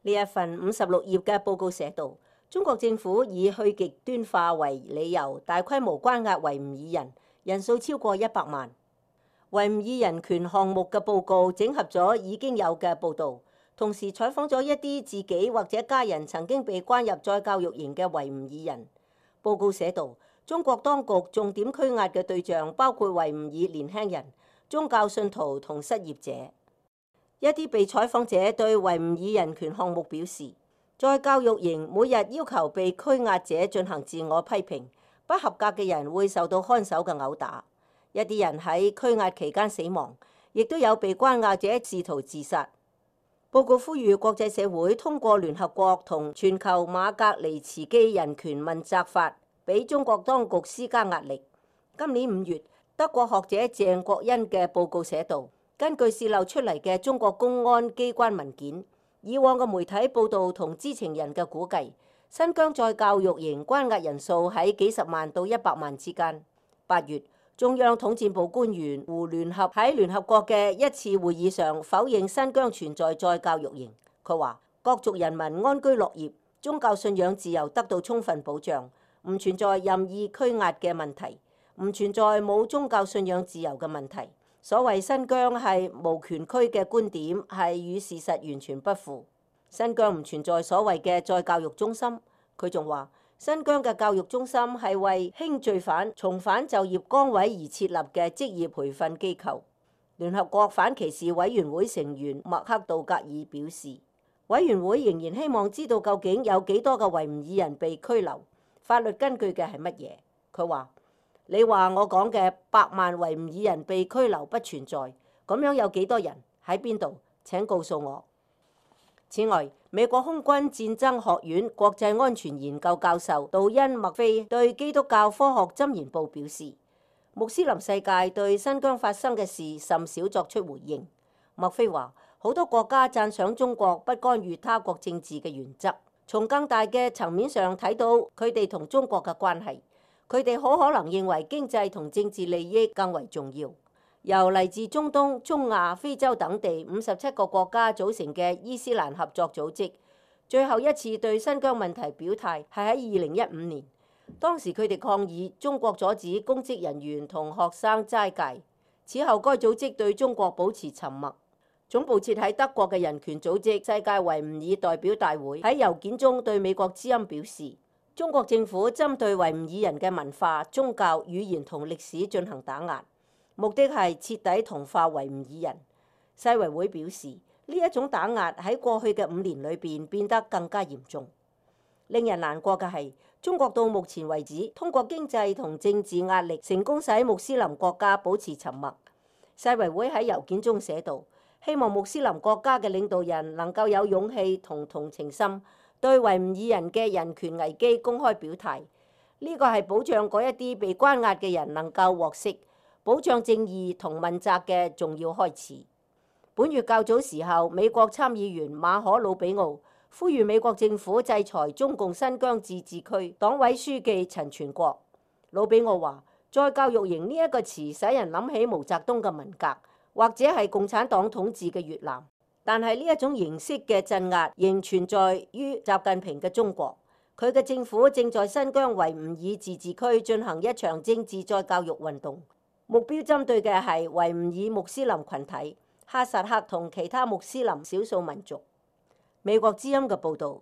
呢一份56頁嘅報告寫道，中國政府以去極端化為理由，大規模關押維吾爾人，人數超過100萬。維吾爾人權項目嘅報告整合咗已經有嘅報導，同時採訪咗一啲自己或者家人曾經被關入再教育營嘅維吾爾人。報告寫道，中國當局重點拘押嘅對象包括維吾爾年輕人、宗教信徒同失業者。一啲被採訪者對維吾爾人權項目表示，在教育營每日要求被拘押者進行自我批評，不合格嘅人會受到看守嘅毆打。一啲人喺拘押期間死亡，亦都有被關押者試圖自殺。報告呼籲國際社會通過聯合國同全球馬格尼茨基人權問責法，俾中國當局施加壓力。今年5月，德國學者鄭國恩嘅報告寫道，根據洩漏出嚟嘅中國公安機關文件，以往嘅媒體報導同知情人嘅估計，新疆再教育營關押人數喺幾十萬到100萬之間。8月，中央統戰部官員胡聯合喺聯合國嘅一次會議上否認新疆存在再教育營。佢話：各族人民安居樂業，宗教信仰自由得到充分保障，唔存在任意拘押嘅問題，唔存在冇宗教信仰自由嘅問題。所謂新疆係無權區嘅觀點係與事實完全不符。新疆唔存在所謂嘅再教育中心。佢仲話：新疆嘅教育中心係為輕罪犯重返就業崗位而設立嘅職業培訓機構。聯合國反歧視委員會成員麥克道格爾表示，委員會仍然希望知道究竟有幾多個維吾爾人被拘留，法律根據嘅係乜嘢。佢話：你話我講嘅100萬維吾爾人被拘留不存在，咁樣有幾多人喺邊度？請告訴我。此外，美國空軍戰爭學院國際安全研究教授杜恩·麥菲對基督教科學箴言報表示，穆斯林世界對新疆發生嘅事甚少作出回應。麥菲話：好多國家讚賞中國不干預他國政治嘅原則，從更大嘅層面上睇到佢哋同中國嘅關係。佢哋好可能認為經濟同政治利益更為重要。由嚟自中東、中亞、非洲等地57個國家組成嘅伊斯蘭合作組織，最後一次對新疆問題表態係喺2015年。當時佢哋抗議中國阻止公職人員同學生齋戒。此後該組織對中國保持沉默。總部設喺德國嘅人權組織世界維吾爾代表大會喺郵件中對美國之音表示，中國政府針對維吾爾人嘅文化、宗教、語言同歷史進行打壓，目的係徹底同化維吾爾人。世維會表示，呢一種打壓喺過去嘅5年裏邊變得更加嚴重。令人難過嘅係，中國到目前為止通過經濟同政治壓力成功使穆斯林國家保持沉默。世維會喺郵件中寫道，希望穆斯林國家嘅領導人能夠有勇氣同同情心，對維吾爾人嘅人權危機公開表態。呢個係保障嗰一啲被關押嘅人能夠獲釋，保障正義同問責嘅重要開始。本月較早時候，美國參議員馬可魯比奧呼籲美國政府制裁中共新疆自治區黨委書記陳全國。魯比奧話：再教育營呢一個詞使人諗起毛澤東嘅文革，或者係共產黨統治嘅越南。但係呢一種形式嘅鎮壓仍存在於習近平嘅中國。佢嘅政府正在新疆維吾爾自治區進行一場政治再教育運動，目標針對嘅係維吾爾穆斯林群體、哈薩克同其他穆斯林少數民族。美國之音嘅報導，